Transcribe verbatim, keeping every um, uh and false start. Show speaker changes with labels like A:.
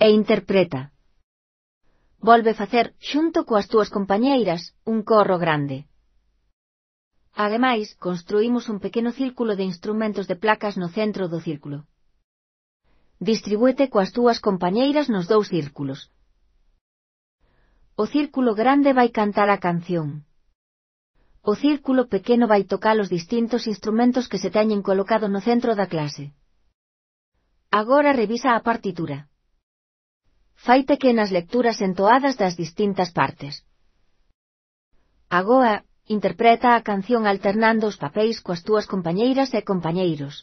A: e interpreta. Volve facer, xunto coas túas compañeiras, un corro grande. Ademais, construímos un pequeno círculo de instrumentos de placas no centro do círculo. Distribúete coas túas compañeiras nos dous círculos. O círculo grande vai cantar a canción. O círculo pequeno vai tocar os distintos instrumentos que se teñen colocado no centro da clase. Agora revisa a partitura. Fai pequenas lecturas entoadas das distintas partes. Agora, interpreta a canción alternando os papéis coas túas compañeiras e compañeiros.